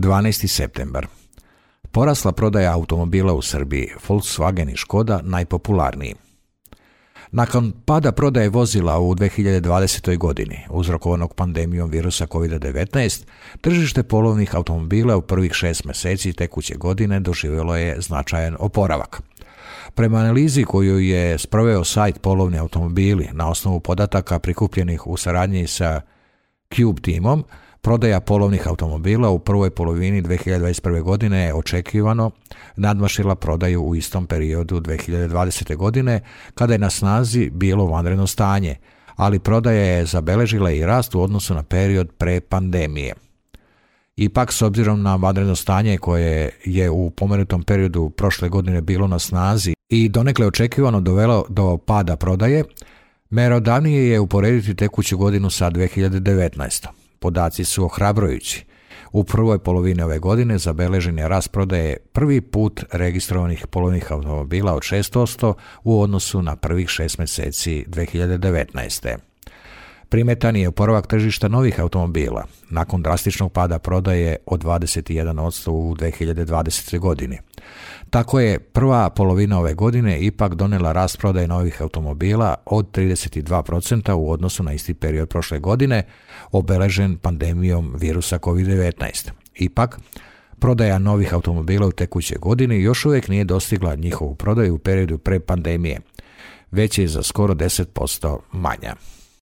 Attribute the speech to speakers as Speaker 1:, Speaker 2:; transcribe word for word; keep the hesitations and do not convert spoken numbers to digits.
Speaker 1: dvanaesti septembar. Porasla prodaja automobila u Srbiji, Volkswagen i Škoda najpopularniji. Nakon pada prodaje vozila u dve hiljade dvadesetoj. godini, uzrokovanog pandemijom virusa kovid devetnaest, tržište polovnih automobila u prvih šest mjeseci tekuće godine doživjelo je značajan oporavak. Prema analizi koju je sproveo sajt Polovni automobili na osnovu podataka prikupljenih u saradnji sa Cube timom, prodaja polovnih automobila u prvoj polovini dve hiljade dvadeset prve. godine je očekivano nadmašila prodaju u istom periodu dve hiljade dvadesete. godine, kada je na snazi bilo vanredno stanje, ali prodaja je zabeležila i rast u odnosu na period pre pandemije. Ipak, s obzirom na vanredno stanje koje je u pomenutom periodu prošle godine bilo na snazi i donekle očekivano dovelo do pada prodaje, merodavnije je uporediti tekuću godinu sa dve hiljade devetnaestom. Podaci su ohrabrujući. U prvoj polovini ove godine zabeležen je rast prodaje prvi put registrovanih polovnih automobila od šest posto u odnosu na prvih šest mjeseci dve hiljade devetnaeste. Primetan je oporavak tržišta novih automobila nakon drastičnog pada prodaje od dvadeset jedan posto u dve hiljade dvadesetoj. godini. Tako je prva polovina ove godine ipak donela rast prodaje novih automobila od trideset dva posto u odnosu na isti period prošle godine, obeležen pandemijom virusa kovid devetnaest. Ipak, prodaja novih automobila u tekućoj godini još uvijek nije dostigla njihovu prodaju u periodu pre pandemije, već je za skoro deset posto manja.